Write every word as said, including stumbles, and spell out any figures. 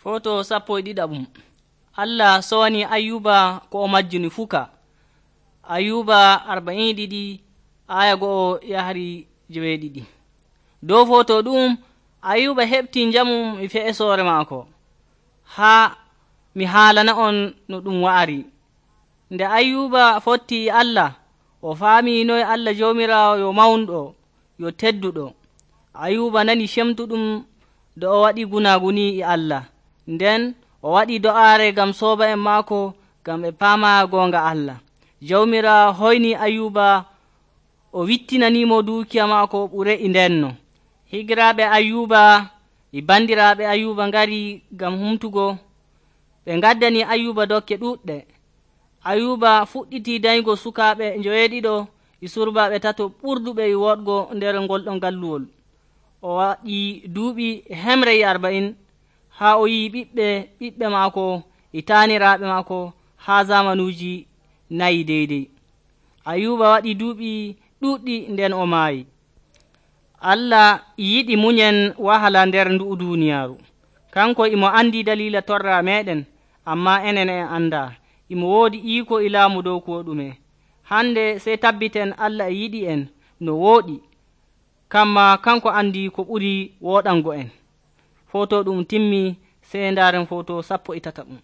Foto sappo e ɗiɗaɓum. Allah sowani Ayuba ko o majjuni fuka. Ayuba arba'in e ɗiɗi aya go'o yahri joweeɗiɗi. Dow foto ɗum Ayuba heɓti njamum e fe'esoore maako. Haa mi haalana on no ɗum wa'ari. Nde Ayuba fotti e Allah, o faami noy Allah Jawmiraawo yo mawnɗo, yo tedduɗo. Ayuba nani cemtuɗum do o waɗi gunaguni e Allah. Nden o waɗi do'aare ngam sooba'en maako ngam ɓe paama goonga Allah. Jawmiraawo hoyni Ayuba, o wittinanimo duukiya maako ɓure e ndenno. Higiraaɓe Ayuba e bandiraaɓe Ayuba ngari ngam humtugo. Ɓe ngaddani Ayuba dokke ɗuɗɗe. Ayuba fuɗɗiti daygo sukaaɓe njoweeɗiɗo e surbaaɓe tato ɓurduɓe e woɗgo nder ngol ɗon galluwol. O waɗi duuɓi hemre e arba'in haa o yi'i ɓiɓɓe ɓiɓɓe maako e taaniraaɓe maako haa zamanuuji nayi deydey. Ayuba waɗi duuɓi ɗuuɗɗi nden o maayi. Allah yiɗi munyen wahala nder ndu'u duuniyaaru. Kanko imo andi dalila torra meɗen, amma enen en andaa. Imo woodi iiko e laamu dow ko ɗume. Hande sey tabbiten Allah e yiɗi en no wooɗi. Kamma kanko andi ko ɓuri wooɗango en. Foto ɗum timmi, sey ndaaren foto sappo e tataɓum.